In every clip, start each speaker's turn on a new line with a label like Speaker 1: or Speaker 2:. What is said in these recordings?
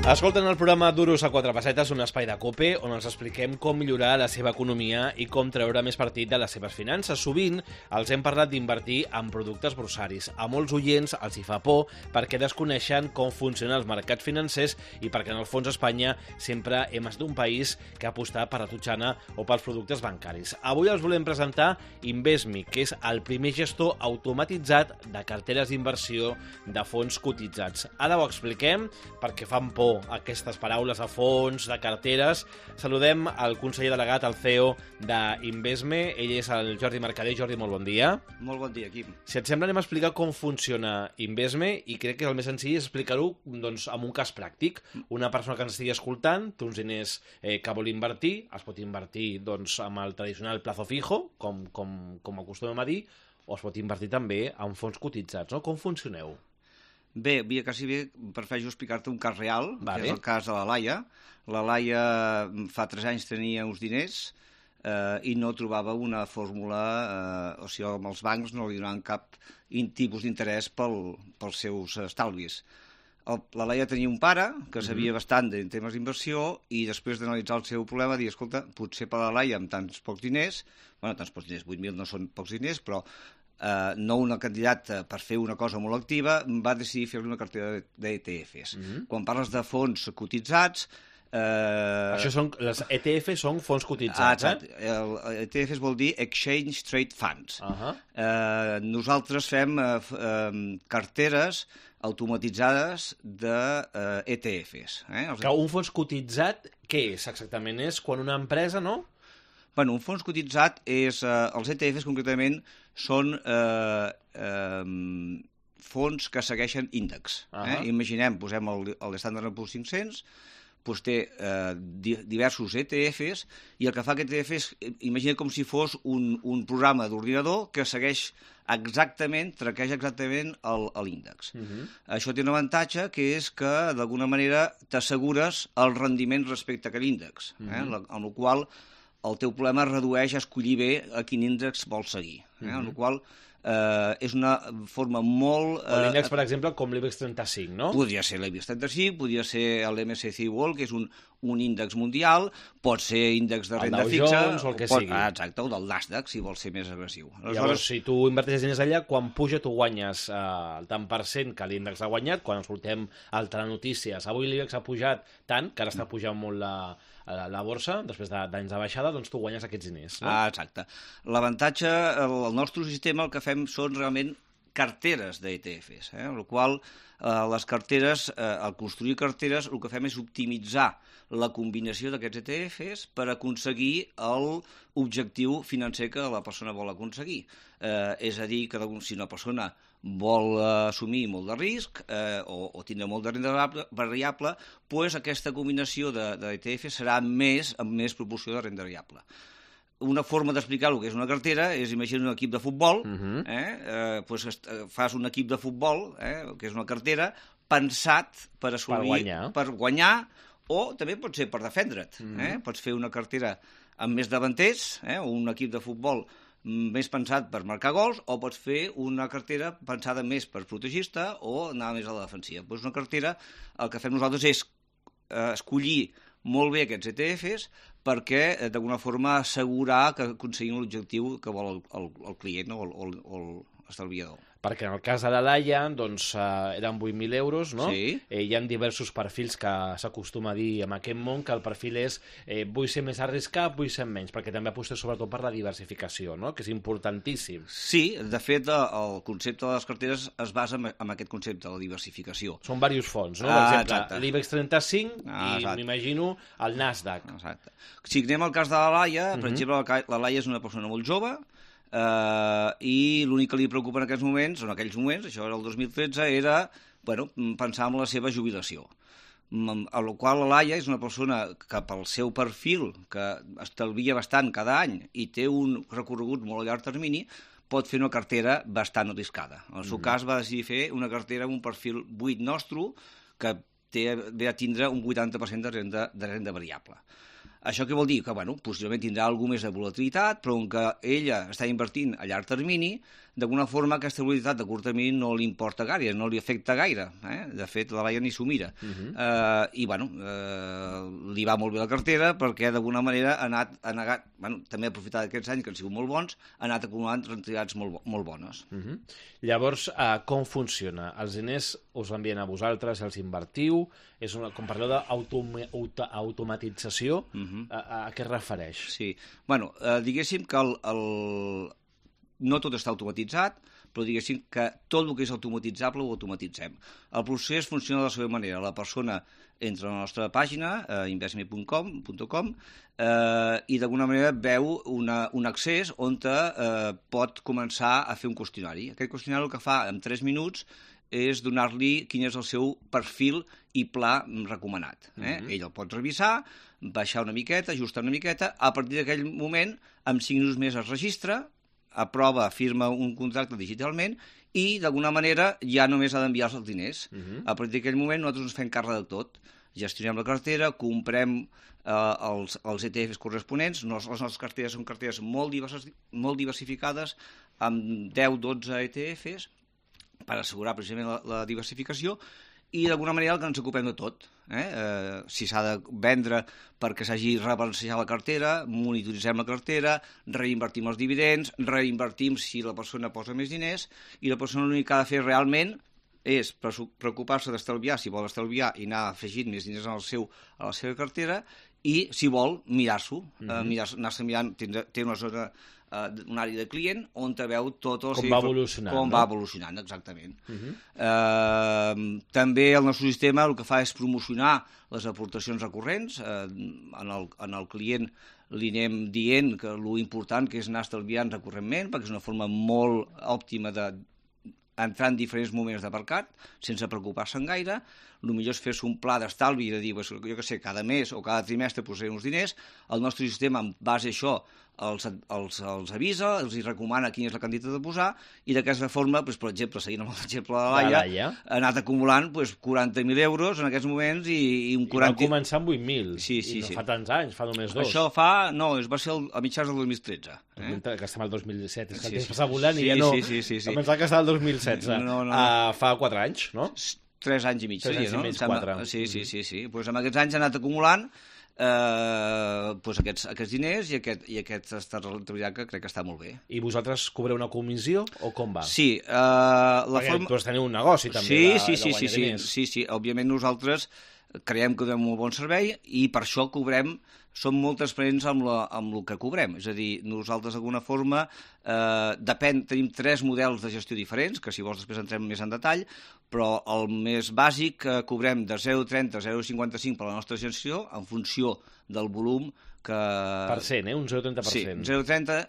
Speaker 1: Escolten el programa Duros a quatre pessetes, un espai de COPE on els expliquem com millorar la seva economia i com treure més partit de les seves finances. Sovint els hem parlat d'invertir en productes borsaris. A molts oients els hi fa por perquè desconeixen com funcionen els mercats financers i perquè en el fons Espanya sempre hem estat un país que ha apostat per la totxana o pels productes bancaris. Avui els volem presentar Invesmi, que és el primer gestor automatitzat de carteres d'inversió de fons cotitzats. Ara ho expliquem perquè fan por aquestes paraules de fons, de carteres. Saludem el conseller delegat, el CEO d'Invesme. Ell és el Jordi Mercader. Jordi, molt bon dia.
Speaker 2: Molt bon dia, Quim.
Speaker 1: Si et sembla, anem a explicar com funciona Invesme i crec que el més senzill és explicar-ho doncs, amb un cas pràctic. Una persona que ens estigui escoltant té uns diners que vol invertir, es pot invertir doncs, amb el tradicional plazo fijo, com acostumem a dir, o es pot invertir també en fons cotitzats. No? Com funcioneu?
Speaker 2: Bé, quasi bé prefereixo explicar-te un cas real,
Speaker 1: vale.
Speaker 2: Que és el cas de la Laia. La Laia fa 3 anys tenia uns diners i no trobava una fórmula, o sigui, amb els bancs no li donaven cap tipus d'interès pels seus estalvis. La Laia tenia un pare que sabia bastant en temes d'inversió i després d'analitzar el seu problema dir, escolta, potser per la Laia amb tants pocs diners, 8.000 no són pocs diners, però no una candidata per fer una cosa molt activa, va decidir fer una cartera d'ETFs. Quan parles de fons cotitzats...
Speaker 1: Això són, les ETF són fons cotitzats,
Speaker 2: ETFs vol dir Exchange Trade Funds. Nosaltres fem carteres automatitzades d'ETFs.
Speaker 1: Que un fons cotitzat, què és exactament? És quan una empresa, no?
Speaker 2: Bueno, un fons cotitzat és... els ETFs, concretament, són fons que segueixen índex. Imaginem, posem l'Standard & Poor's 500, doncs té diversos ETFs, i el que fa aquest ETF és, imagina com si fos un programa d'ordinador que segueix exactament, traqueja exactament l'índex. Això té un avantatge, que és que, d'alguna manera, t'assegures el rendiment respecte a aquest índex, amb la qual el teu problema es redueix a escollir bé a quin índex vols seguir. Amb la qual és una forma molt...
Speaker 1: L'índex, per exemple, com l'IBEX 35, no?
Speaker 2: Podria ser l'IBEX 35, podria ser l'MSCI World, que és un índex mundial, pot ser índex de renda fixa...
Speaker 1: El Dow Jones o el que sigui.
Speaker 2: Exacte, o del Nasdaq, si vols ser més agressiu.
Speaker 1: Llavors, si tu inverteixes diners allà, quan puja tu guanyes el tant per cent que l'índex ha guanyat, quan escoltem altres notícies, avui l'IBEX ha pujat tant, que ara està pujant molt la borsa, després d'anys de baixada, doncs tu guanyes aquests diners. No?
Speaker 2: Exacte. L'avantatge, el nostre sistema, el que fem són realment carteres d'ETFs, amb la qual les carteres, al construir carteres, el que fem és optimitzar la combinació d'aquests ETFs per aconseguir l'objectiu financer que la persona vol aconseguir. És a dir, que si una persona vol assumir molt de risc o tindre molt de renda variable, doncs aquesta combinació d'ETF serà amb més proporció de renda variable. Una forma d'explicar el que és una cartera és, imagina un equip de futbol, fas un equip de futbol, que és una cartera, pensat per assolir, per guanyar, o també pot ser per defendre't. Pots fer una cartera amb més davanters, o un equip de futbol més pensat per marcar gols, o pots fer una cartera pensada més per protegir-te o anar més a la defensiva. Doncs una cartera, el que fem nosaltres és escollir molt bé aquests ETFs perquè, d'alguna forma, assegurar que aconseguim l'objectiu que vol el client o l'estalviador.
Speaker 1: Perquè en el cas de la Laia, doncs, eren 8.000 euros, no?
Speaker 2: Sí.
Speaker 1: Hi ha diversos perfils que s'acostuma a dir en aquest món, que el perfil és vull ser més arriscat, vull ser menys, perquè també apostes sobretot per la diversificació, no? Que és importantíssim.
Speaker 2: Sí, de fet, el concepte de les carteres es basa en aquest concepte, la diversificació.
Speaker 1: Són diversos fons, no? Per exemple, l'IBEX 35 i m'imagino el Nasdaq.
Speaker 2: Exacte. Si anem al cas de la Laia, per exemple, la Laia és una persona molt jove, i l'únic que li preocupa en aquells moments, això era el 2013, era pensar en la seva jubilació. A la qual la Laia és una persona que pel seu perfil, que estalvia bastant cada any i té un recorregut molt a llarg termini, pot fer una cartera bastant arriscada. En el seu cas va decidir fer una cartera amb un perfil buit nostre que ve a tindre un 80% de renda variable. Això què vol dir? Que, possiblement tindrà alguna més de volatilitat, però com que ella està invertint a llarg termini, d'alguna forma aquesta volatilitat de curt termini no li importa gaire, no li afecta gaire. De fet, la Laia ni s'ho mira. I, li va molt bé la cartera perquè d'alguna manera ha anat també ha aprofitat d'aquests anys que han sigut molt bons, ha anat acumulant rendibilitats molt bones.
Speaker 1: Llavors, com funciona? Els diners us envien a vosaltres, els invertiu? Com parleu d'automatització, a què es refereix?
Speaker 2: Sí, diguéssim que no tot està automatitzat, però diguéssim que tot el que és automatitzable ho automatitzem. El procés funciona de la seva manera. La persona entra a la nostra pàgina, investme.com, i d'alguna manera veu un accés on pot començar a fer un qüestionari. Aquest qüestionari el que fa en 3 minuts és donar-li quin és el seu perfil i pla recomanat. Ell el pot revisar, baixar una miqueta, ajustar una miqueta, a partir d'aquell moment, en 5 minuts més es registra, aprova, firma un contracte digitalment i, d'alguna manera, ja només ha d'enviar els diners. A partir d'aquell moment nosaltres ens fem càrrec de tot. Gestionem la cartera, comprem els ETFs corresponents. Les nostres carteres són carteres molt diversificades, amb 10-12 ETFs, per assegurar precisament la diversificació, i d'alguna manera ens ocupem de tot. Si s'ha de vendre perquè s'hagi rebalancejat la cartera, monitoritzem la cartera, reinvertim els dividends, reinvertim si la persona posa més diners, i la persona l'únic que ha de fer realment és preocupar-se d'estalviar, si vol estalviar, i anar afegint més diners a la seva cartera, i, si vol, mirar-s'ho, anar-se mirant, té una zona, un àrea de client on veu tot el
Speaker 1: com va evolucionant.
Speaker 2: Com va evolucionant, exactament. També el nostre sistema el que fa és promocionar les aportacions recurrents. En el client li anem dient que l'important que és anar estalviant recurrentment, perquè és una forma molt òptima d'entrar en diferents moments de mercat, sense preocupar-se'n gaire. El millor és fer-se un pla d'estalvi i de dir, jo què sé, cada mes o cada trimestre posaré uns diners. El nostre sistema, en base a això, els avisa, els recomana quina és la quantitat de posar, i d'aquesta forma, per exemple, seguint amb l'exemple de la Laia, ha anat acumulant 40.000 euros en aquests moments i un 40...
Speaker 1: I va començar amb 8.000, i no fa tants anys, fa només 2.
Speaker 2: Això va ser a mitjans del 2013.
Speaker 1: Que estem al 2017, és que el temps passa volant i ja no...
Speaker 2: Sí.
Speaker 1: Pensava que estava al 2016. Fa 4 anys, no?
Speaker 2: 3 anys i mig,
Speaker 1: 3 anys i mig, 4.
Speaker 2: Sí. Doncs amb aquests anys ha anat acumulant aquests diners i aquesta rentabilitat que crec que està molt bé.
Speaker 1: I vosaltres cobreu una comissió o com va?
Speaker 2: Sí.
Speaker 1: Perquè teniu un negoci també de guanyar diners.
Speaker 2: Sí. Òbviament nosaltres creiem que donem un bon servei i per això som molt transparents amb el que cobrem. És a dir, nosaltres d'alguna forma tenim 3 models de gestió diferents, que si vols després entrem més en detall, però el més bàsic cobrem de 0,30 a 0,55 per la nostra gestió en funció del volum que...
Speaker 1: Per cent, un 0,30%.
Speaker 2: Sí, d'un 0,30 a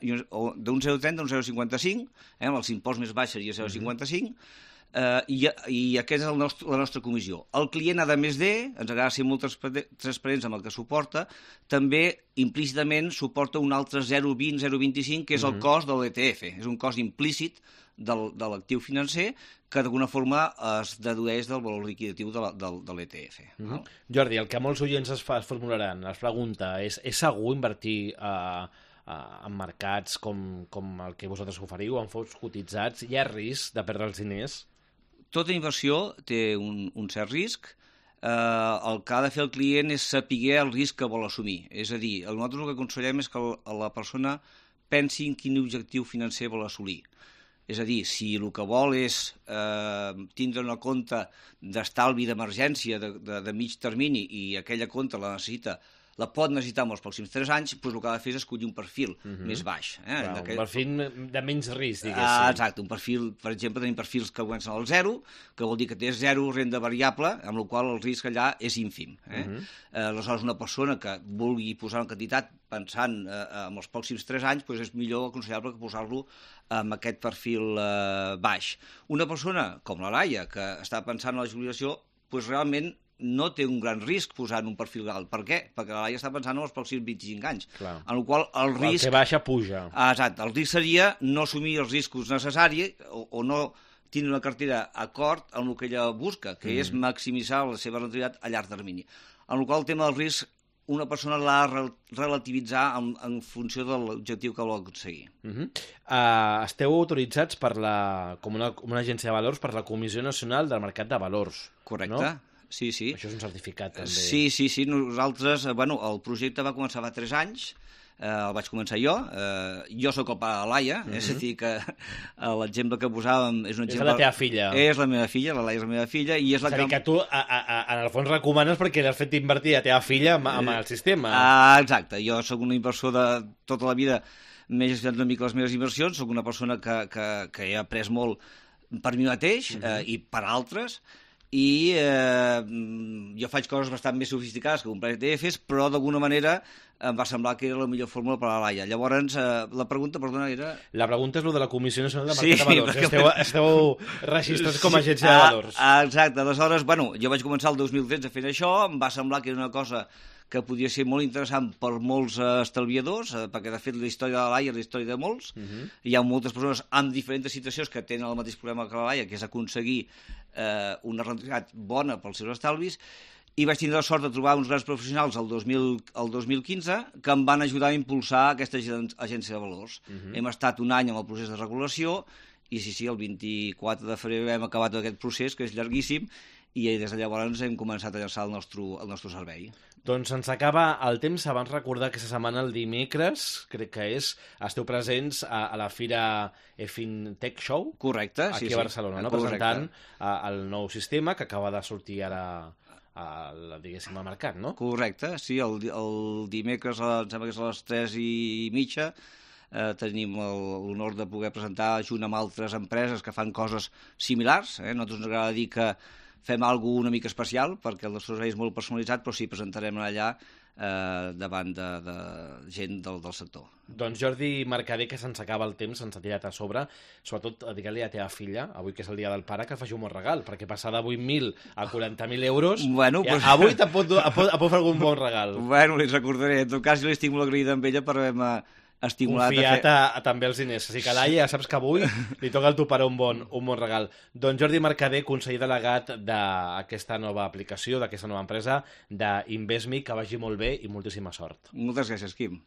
Speaker 2: un 0,55, amb els imposts més baixos seria 0,55, i aquesta és la nostra comissió. El client, a més ens agrada ser molt transparents amb el que suporta, també implícitament suporta un altre 0,20, 0,25, que és el cost de l'ETF. És un cost implícit de l'actiu financer que d'alguna forma es dedueix del valor liquidatiu de l'ETF.
Speaker 1: Jordi, el que molts oients es formularan, es pregunta, és segur invertir en mercats com el que vosaltres oferiu, en fons cotitzats? Hi ha risc de perdre els diners?
Speaker 2: Tota inversió té un cert risc. El que ha de fer el client és saber el risc que vol assumir. És a dir, nosaltres el que aconsellem és que la persona pensi en quin objectiu financer vol assolir. És a dir, si el que vol és tindre una compte d'estalvi d'emergència de mig termini i aquella compte la pot necessitar en els pròxims 3 anys, doncs el que ha de fer és escollir un perfil més baix.
Speaker 1: Un perfil de menys risc, diguéssim.
Speaker 2: Exacte, un perfil, per exemple, tenim perfils que comencen al 0, que vol dir que té 0 renda variable, amb la qual el risc allà és ínfim. Aleshores, una persona que vulgui posar una quantitat pensant en els pròxims 3 anys, doncs és millor aconsellable que posar-lo amb aquest perfil baix. Una persona com la Laia, que està pensant en la jubilació, doncs realment no té un gran risc posar en un perfil alt. Per què? Perquè la Laia està pensant en els pròxims 25 anys. En el qual el risc...
Speaker 1: El que baixa, puja.
Speaker 2: Exacte. El risc seria no assumir els riscos necessaris o no tindre una cartera acord amb el que ella busca, que és maximitzar la seva rentabilitat a llarg termini. En el qual el tema del risc una persona l'ha de relativitzar en funció de l'objectiu que vol aconseguir.
Speaker 1: Esteu autoritzats com una agència de valors per la Comissió Nacional del Mercat de Valors.
Speaker 2: Correcte.
Speaker 1: No?
Speaker 2: Sí.
Speaker 1: Això és un certificat, també.
Speaker 2: Sí. Nosaltres, el projecte va començar fa 3 anys, el vaig començar jo soc el pare de la Laia, és a dir que l'exemple que posàvem és un exemple...
Speaker 1: És la teva filla.
Speaker 2: És la meva filla, la Laia és la meva filla, i és la
Speaker 1: que... És a dir, que tu, en el fons, recomanes perquè l'has fet invertir a teva filla amb el sistema.
Speaker 2: Exacte, jo sóc un inversor de tota la vida, m'he gestionat una mica les meves inversions, sóc una persona que he après molt per mi mateix i per altres, i jo faig coses bastant més sofisticades que comprar ETFs, però d'alguna manera em va semblar que era la millor fórmula per a la Laia. Llavors, la pregunta, perdona, era...
Speaker 1: La pregunta és el de la Comissió Nacional de Mercat de Valors. Perquè... Esteu registrats com a agència de valors.
Speaker 2: Exacte. Aleshores, jo vaig començar el 2013 fent això, em va semblar que era una cosa que podia ser molt interessant per molts estalviadors, perquè de fet la història de la Laia és la història de molts. Hi ha moltes persones amb diferents situacions que tenen el mateix problema que la Laia, que és aconseguir una rendibilitat bona pels seus estalvis, i vaig tindre la sort de trobar uns grans professionals el 2015 que em van ajudar a impulsar aquesta agència de valors. Hem estat un any en el procés de regulació i sí, el 24 de febrer hem acabat aquest procés, que és llarguíssim, i des de llavors hem començat a llançar el nostre servei.
Speaker 1: Doncs ens acaba el temps. Abans recordar que aquesta setmana, el dimecres, crec que esteu presents a la Fira FinTech Show.
Speaker 2: Correcte,
Speaker 1: aquí a Barcelona, no? Presentant el nou sistema que acaba de sortir ara diguéssim, al mercat, no?
Speaker 2: Correcte, sí, el dimecres, em sembla que és a les 3:30, tenim l'honor de poder presentar junt amb altres empreses que fan coses similars. A nosaltres ens agrada dir que fem alguna cosa una mica especial, perquè el nostre servei és molt personalitzat, però sí, presentarem allà davant de gent del sector.
Speaker 1: Doncs Jordi Mercader, que se'ns acaba el temps, se'ns ha tirat a sobre, sobretot digue-li a teva filla, avui que és el dia del pare, que faci un bon regal, perquè passar de 8.000 a 40.000 euros, avui et pot fer algun bon regal.
Speaker 2: Bueno, li recordaré, en tot cas jo li estic molt agraïda amb ella per haver-me estimulat
Speaker 1: confiat també els diners. Així que Laia, saps que avui li toca al teu pare un bon regal. Doncs Jordi Mercader, conseller delegat d'aquesta nova aplicació, d'aquesta nova empresa, d'Investme, que vagi molt bé i moltíssima sort.
Speaker 2: Moltes gràcies, Quim.